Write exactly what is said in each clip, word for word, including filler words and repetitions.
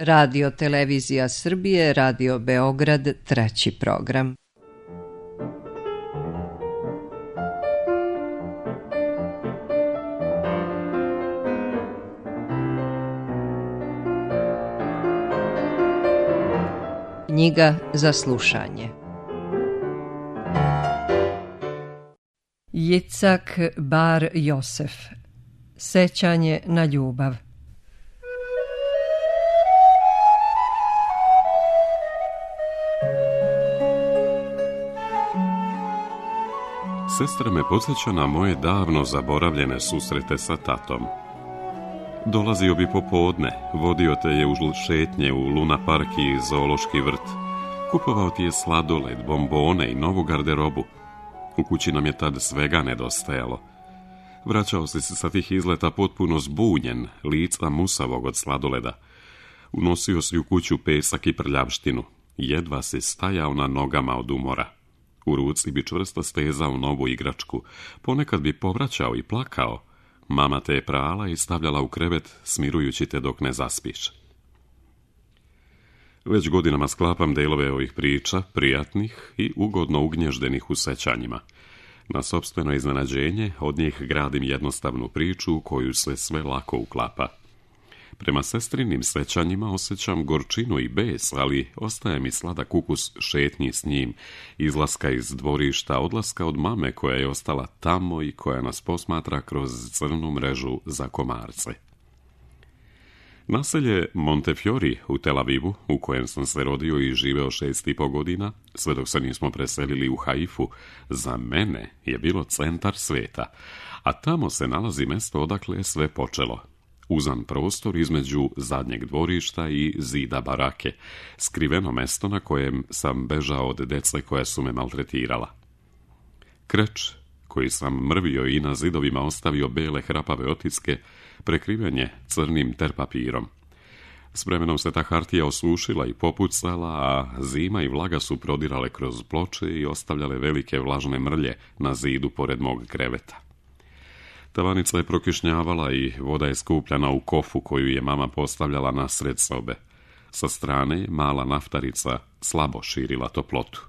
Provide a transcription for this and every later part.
Radio Televizija Srbije, Radio Beograd, treći program. Knjiga za slušanje. Jicak Bar Josef. Sećanje na ljubav. Sestra me podsjeća na moje davno zaboravljene susrete sa tatom. Dolazio bi popodne, vodio te je uz šetnje u Luna Park i zoološki vrt. Kupovao ti je sladoled, bombone i novu garderobu. U kući nam je tad svega nedostajalo. Vraćao si se sa tih izleta potpuno zbunjen, lica musavog od sladoleda. Unosio si u kuću pesak i prljavštinu. Jedva si stajao na nogama od umora. U ruci bi čvrsto stezao novu igračku. Ponekad bi povraćao i plakao. Mama te je prala i stavljala u krevet, smirujući te dok ne zaspiš. Već godinama sklapam delove ovih priča, prijatnih i ugodno ugnježdenih u sećanjima. Na sopstveno iznenađenje od njih gradim jednostavnu priču u koju se sve lako uklapa. Prema sestrinim sećanjima osjećam gorčinu i bes, ali ostaje mi sladak ukus šetnji s njim, izlaska iz dvorišta, odlaska od mame koja je ostala tamo i koja nas posmatra kroz crnu mrežu za komarce. Naselje Montefiori u Tel Avivu, u kojem sam se rodio i živeo šest i po godina, sve dok se nismo preselili u Haifu, za mene je bilo centar sveta, a tamo se nalazi mesto odakle je sve počelo. Uzan prostor između zadnjeg dvorišta i zida barake, skriveno mesto na kojem sam bežao od dece koja su me maltretirala. Kreč, koji sam mrvio i na zidovima ostavio bele hrapave otiske, prekriven je crnim terpapirom. S vremenom se ta hartija osušila i popucala, a zima i vlaga su prodirale kroz ploče i ostavljale velike vlažne mrlje na zidu pored mog kreveta. Tavanica je prokišnjavala i voda je skupljana u kofu koju je mama postavljala na sred sobe. Sa strane mala naftarica slabo širila toplotu.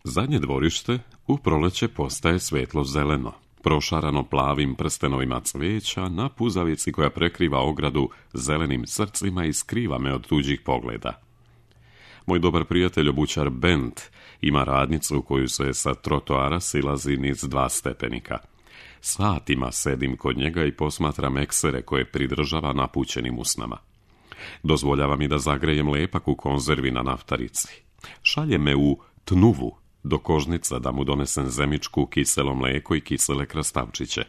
Zadnje dvorište u proleće postaje svetlo zeleno, prošarano plavim prstenovima cveća na puzavici koja prekriva ogradu zelenim srcima i skriva me od tuđih pogleda. Moj dobar prijatelj obućar Bent ima radnicu u koju se sa trotoara silazi niz dva stepenika. Satima sedim kod njega i posmatram eksere koje pridržava napućenim usnama. Dozvoljava mi da zagrejem lepak u konzervi na naftarici. Šalje me u Tnuvu do kožnica da mu donesem zemičku, kiselo mleko i kisele krastavčiće.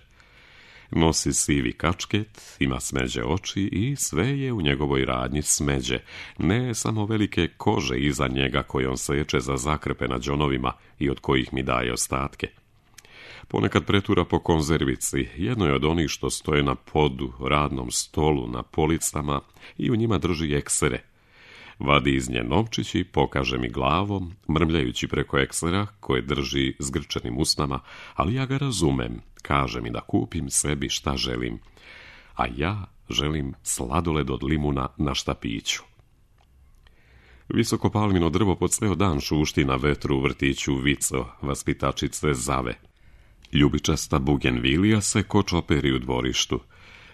Nosi sivi kačket, ima smeđe oči i sve je u njegovoj radnji smeđe, ne samo velike kože iza njega koje on seče za zakrpe na đonovima i od kojih mi daje ostatke. Ponekad pretura po konzervici, jedno je od onih što stoje na podu, radnom stolu, na policama i u njima drži eksere. Vadi iz nje novčić i pokaže mi glavom, mrmljajući preko eksera koje drži zgrčenim usnama, ali ja ga razumem, kaže mi da kupim sebi šta želim. A ja želim sladoled od limuna na štapiću. Visoko palmino drvo pod ceo dan šušti na vetru u vrtiću Vico, vaspitačice Zave. Ljubičasta bugenvilija se kočoperi u dvorištu.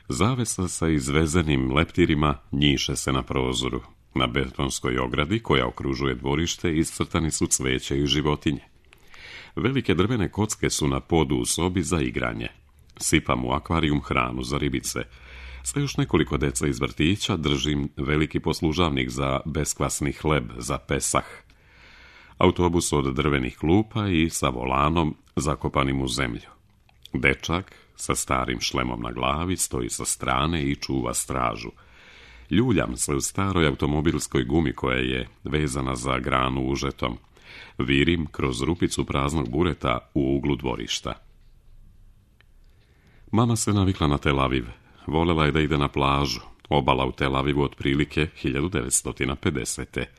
Zavesa sa izvezenim leptirima njiše se na prozoru. Na betonskoj ogradi koja okružuje dvorište iscrtani su cveće i životinje. Velike drvene kocke su na podu u sobi za igranje. Sipam u akvarijum hranu za ribice. Sa još nekoliko deca iz vrtića držim veliki poslužavnik za beskvasni hleb za Pesah. Autobus od drvenih klupa i sa volanom zakopanim u zemlju. Dečak sa starim šlemom na glavi stoji sa strane i čuva stražu. Ljuljam se u staroj automobilskoj gumi koja je vezana za granu užetom. Virim kroz rupicu praznog bureta u uglu dvorišta. Mama se navikla na Tel Aviv. Volela je da ide na plažu. Obala u Tel Avivu otprilike hiljadu devetsto pedesete.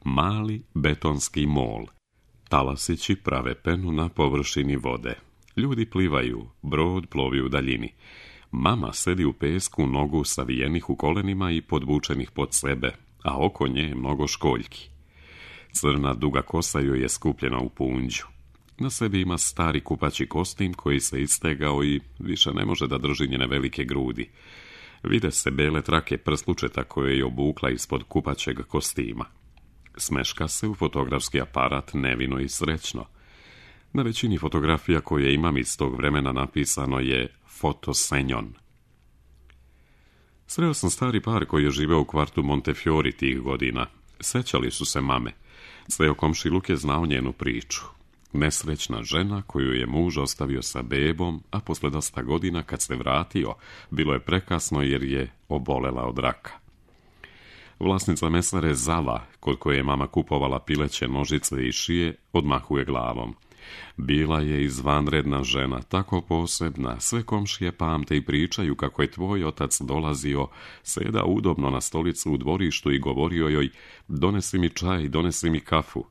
Mali betonski mol. Talasići prave penu na površini vode. Ljudi plivaju, brod plovi u daljini. Mama sedi u pesku, nogu savijenih u kolenima i podvučenih pod sebe, a oko nje je mnogo školjki. Crna duga kosa joj je skupljena u punđu. Na sebi ima stari kupaći kostim koji se istegao i više ne može da drži njene velike grudi. Vide se bele trake prslučeta koje je obukla ispod kupaćeg kostima. Smeška se u fotografski aparat nevino i srećno. Na većini fotografija koje imam iz tog vremena napisano je fotosenjon. Sreo sam stari par koji je živeo u kvartu Montefiori tih godina. Sećali su se mame. Ceo komšiluk je znao njenu priču. Nesrećna žena koju je muž ostavio sa bebom, a posle dosta godina kad se vratio, bilo je prekasno jer je obolela od raka. Vlasnica mesare Zala, kod koje je mama kupovala pileće nožice i šije, odmahuje glavom. Bila je izvanredna žena, tako posebna, sve komšije pamte i pričaju kako je tvoj otac dolazio, seda udobno na stolicu u dvorištu i govorio joj, donesi mi čaj, donesi mi kafu.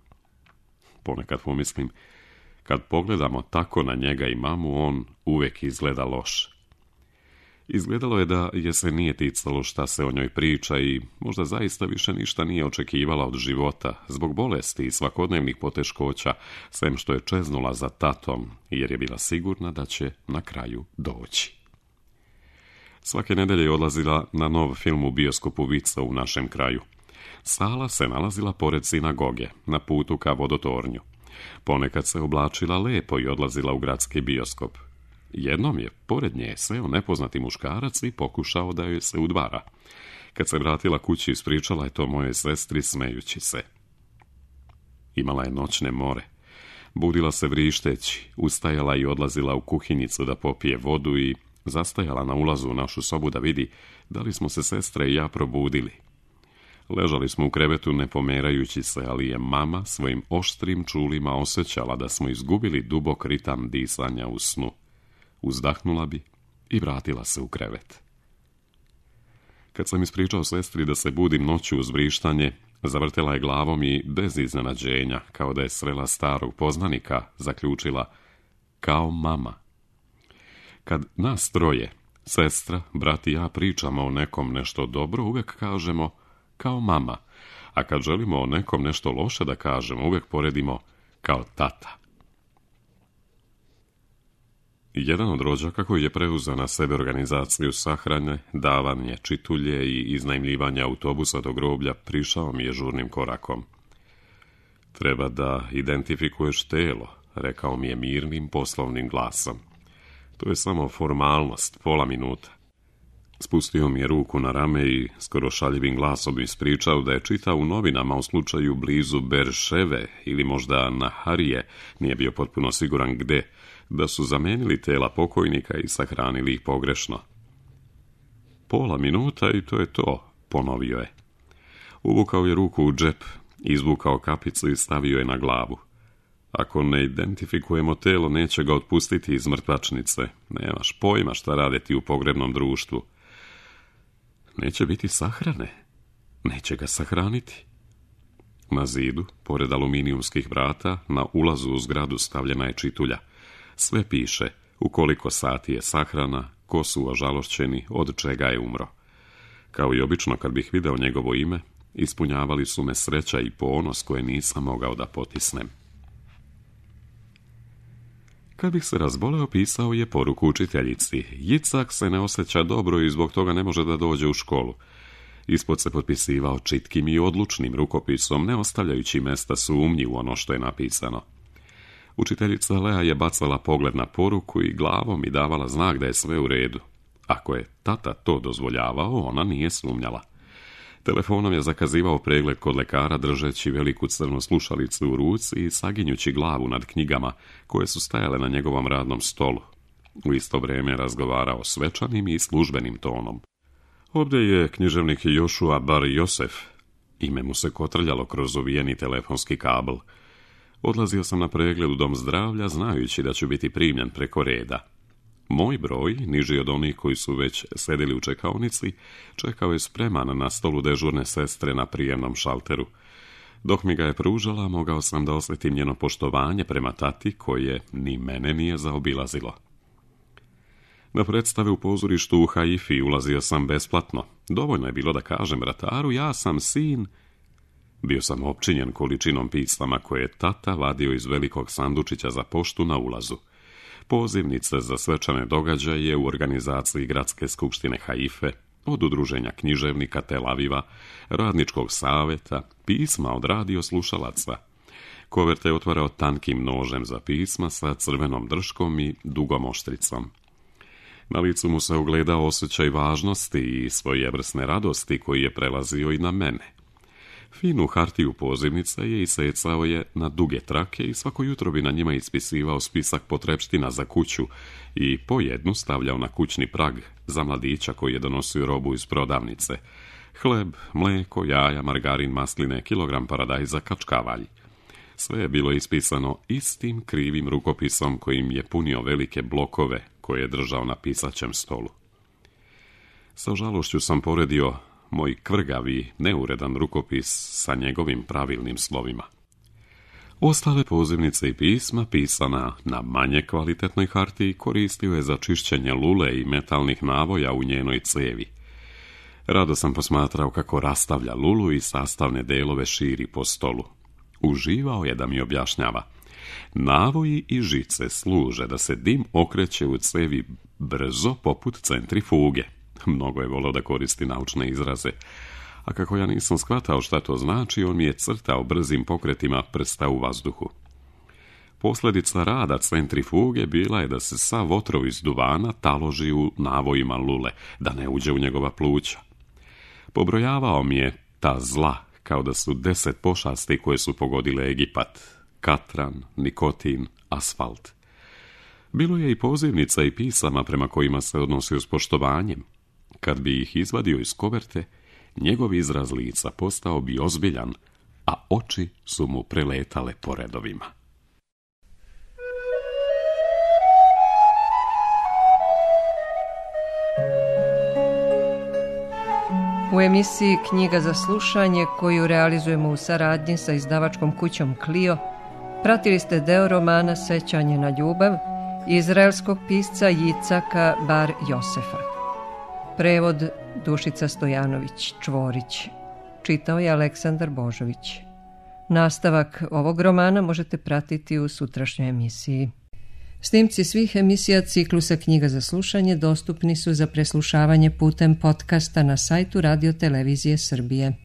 Ponekad pomislim, kad pogledamo tako na njega i mamu, on uvek izgleda loš. Izgledalo je da je se nije ticalo šta se o njoj priča i možda zaista više ništa nije očekivala od života, zbog bolesti i svakodnevnih poteškoća, sem što je čeznula za tatom, jer je bila sigurna da će na kraju doći. Svake nedelje je odlazila na nov film u bioskopu Vica u našem kraju. Sala se nalazila pored sinagoge, na putu ka vodotornju. Ponekad se oblačila lepo i odlazila u gradski bioskop. Jednom je pored nje seo nepoznati muškarac i pokušao da joj se udvara. Kad se vratila kući, ispričala je to mojoj sestri smejući se. Imala je noćne more. Budila se vrišteći, ustajala i odlazila u kuhinjicu da popije vodu i zastajala na ulazu u našu sobu da vidi da li smo se sestre i ja probudili. Ležali smo u krevetu ne pomerajući se, ali je mama svojim oštrim čulima osjećala da smo izgubili dubok ritam disanja u snu. Uzdahnula bi i vratila se u krevet. Kad sam ispričao sestri da se budim noću uz vrištanje, zavrtela je glavom i bez iznenađenja, kao da je srela starog poznanika, zaključila kao mama. Kad nas troje, sestra, brat i ja pričamo o nekom nešto dobro, uvek kažemo kao mama, a kad želimo o nekom nešto loše da kažemo, uvek poredimo kao tata. Jedan od rođaka koji je preuzeo na sebe organizaciju sahrane, davanje čitulje i iznajmljivanje autobusa do groblja, prišao mi je žurnim korakom. Treba da identifikuješ telo, rekao mi je mirnim poslovnim glasom. To je samo formalnost, pola minuta. Spustio mi je ruku na rame i skoro šaljivim glasom ispričao da je čitao u novinama u slučaju blizu Berševe ili možda Naharije, nije bio potpuno siguran gde, da su zamenili tela pokojnika i sahranili ih pogrešno. Pola minuta i to je to, ponovio je. Uvukao je ruku u džep, izvukao kapicu i stavio je na glavu. Ako ne identifikujemo telo, neće ga otpustiti iz mrtvačnice. Nemaš pojma šta rade ti u pogrebnom društvu. Neće biti sahrane. Neće ga sahraniti. Na zidu, pored aluminijumskih vrata, na ulazu u zgradu stavljena je čitulja. Sve piše u koliko sati je sahrana, ko su ožalošćeni, od čega je umro. Kao i obično kad bih video njegovo ime, ispunjavali su me sreća i ponos koje nisam mogao da potisnem. Kad bih se razboleo, pisao je poruku učiteljici. Jicak se ne osjeća dobro i zbog toga ne može da dođe u školu. Ispod se potpisivao čitkim i odlučnim rukopisom, ne ostavljajući mesta sumnji u ono što je napisano. Učiteljica Lea je bacala pogled na poruku i glavom mi davala znak da je sve u redu. Ako je tata to dozvoljavao, ona nije sumnjala. Telefonom je zakazivao pregled kod lekara držeći veliku crnu slušalicu u ruci i saginjući glavu nad knjigama koje su stajale na njegovom radnom stolu. U isto vrijeme razgovarao svečanim i službenim tonom. Ovdje je književnik Jošua Bar Josef. Ime mu se kotrljalo kroz uvijeni telefonski kabel. Odlazio sam na pregled u dom zdravlja znajući da ću biti primljen preko reda. Moj broj, niži od onih koji su već sedeli u čekaonici, čekao je spreman na stolu dežurne sestre na prijemnom šalteru. Dok mi ga je pružala, mogao sam da osjetim njeno poštovanje prema tati koje ni mene nije zaobilazilo. Na predstave u pozorištu u Haifi ulazio sam besplatno. Dovoljno je bilo da kažem vrataru, ja sam sin. Bio sam opčinjen količinom pisama koje je tata vadio iz velikog sandučića za poštu na ulazu. Pozivnice za svečane događaje u organizaciji Gradske skupštine Haife, od udruženja književnika Tel Aviva, radničkog saveta, pisma od radio slušalaca. Koverte je otvarao tankim nožem za pisma sa crvenom drškom i dugom oštricom. Na licu mu se ugledao osjećaj važnosti i svojevrsne radosti koji je prelazio i na mene. Finu hartiju pozivnica je isecao je na duge trake i svako jutro bi na njima ispisivao spisak potrepština za kuću i po jednu stavljao na kućni prag za mladića koji je donosio robu iz prodavnice. Hleb, mleko, jaja, margarin, masline, kilogram paradajza, kačkavalj. Sve je bilo ispisano istim krivim rukopisom kojim je punio velike blokove koje je držao na pisaćem stolu. Sa žalošću sam poredio moj kvrgavi, neuredan rukopis sa njegovim pravilnim slovima. Ostale pozivnice i pisma, pisana na manje kvalitetnoj hartiji, koristio je za čišćenje lule i metalnih navoja u njenoj cevi. Rado sam posmatrao kako rastavlja lulu i sastavne delove širi po stolu. Uživao je da mi objašnjava. Navoji i žice služe da se dim okreće u cevi brzo poput centrifuge. Mnogo je volio da koristi naučne izraze, a kako ja nisam shvatao šta to znači, on mi je crtao brzim pokretima prsta u vazduhu. Posljedica rada centrifuge bila je da se sav otrov iz duvana taloži u navojima lule, da ne uđe u njegova pluća. Pobrojavao mi je ta zla kao da su deset pošasti koje su pogodile Egipat: katran, nikotin, asfalt. Bilo je i pozivnica i pisama prema kojima se odnosio s poštovanjem. Kad bi ih izvadio iz koverte, njegov izraz lica postao bi ozbiljan, a oči su mu preletale po redovima. U emisiji Knjiga za slušanje, koju realizujemo u saradnji sa izdavačkom kućom Clio, pratili ste deo romana Sećanje na ljubav izraelskog pisca Jicaka Bar Josefa. Prevod Dušica Stojanović Čvorić. Čitao je Aleksandar Božović. Nastavak ovog romana možete pratiti u sutrašnjoj emisiji. Snimci svih emisija ciklusa Knjiga za slušanje dostupni su za preslušavanje putem podcasta na sajtu Radio Televizije Srbije.